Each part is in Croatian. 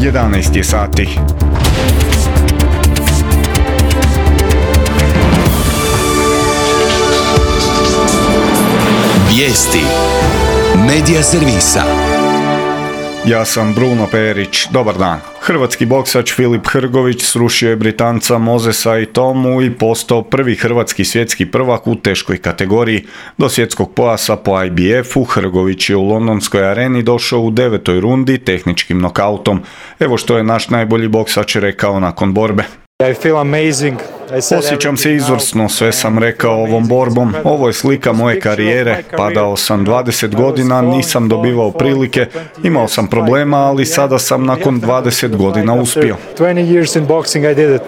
11 je sati. Vijesti Medija servisa. Ja sam Bruno Perić, dobar dan. Hrvatski boksač Filip Hrgović srušio je Britanca Mosesa i Tomu i postao prvi hrvatski svjetski prvak u teškoj kategoriji. Do svjetskog pojasa po IBF-u Hrgović je u londonskoj areni došao u 9. rundi tehničkim nokautom. Evo što je naš najbolji boksač rekao nakon borbe. Osjećam se izvrsno, sve sam rekao ovom borbom. Ovo je slika moje karijere. Padao sam 20 godina, nisam dobivao prilike, imao sam problema, ali sada sam nakon 20 godina uspio.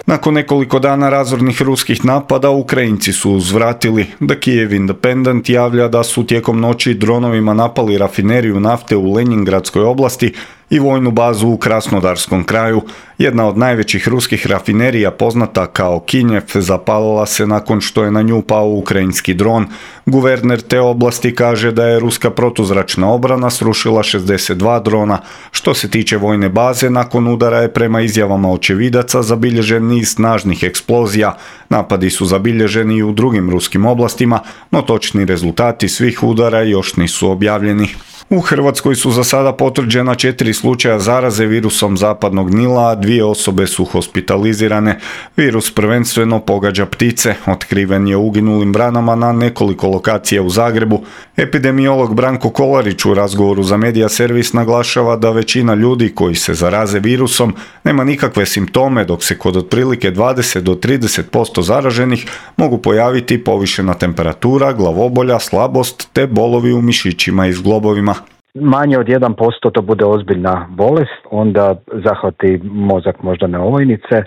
Nakon nekoliko dana razornih ruskih napada, Ukrajinci su uzvratili. The Kyiv Independent javlja da su tijekom noći dronovima napali rafineriju nafte u Lenjingradskoj oblasti i vojnu bazu u Krasnodarskom kraju. Jedna od najvećih ruskih rafinerija, poznata kao Kinjev, zapalila se nakon što je na nju pao ukrajinski dron. Guverner te oblasti kaže da je ruska protuzračna obrana srušila 62 drona. Što se tiče vojne baze, nakon udara je prema izjavama očevidaca zabilježen niz snažnih eksplozija. Napadi su zabilježeni i u drugim ruskim oblastima, no točni rezultati svih udara još nisu objavljeni. U Hrvatskoj su za sada potvrđena 4 slučaja zaraze virusom zapadnog Nila, a 2 osobe su hospitalizirane. Virus prvenstveno pogađa ptice, otkriven je u uginulim vranama na nekoliko lokacija u Zagrebu. Epidemiolog Branko Kolarić u razgovoru za Medija servis naglašava da većina ljudi koji se zaraze virusom nema nikakve simptome, dok se kod otprilike 20 do 30% zaraženih mogu pojaviti povišena temperatura, glavobolja, slabost te bolovi u mišićima i zglobovima. Manje od 1% to bude ozbiljna bolest, onda zahvati mozak moždane ovojnice,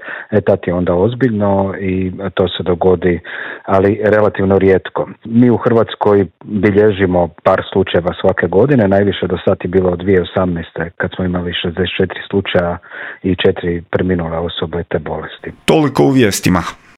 tad je onda ozbiljno i to se dogodi, ali relativno rijetko. Mi u Hrvatskoj bilježimo par slučajeva svake godine, najviše do sad je bilo od 2018. kad smo imali 64 slučaja i 4 preminule osobe te bolesti. Toliko u vijestima.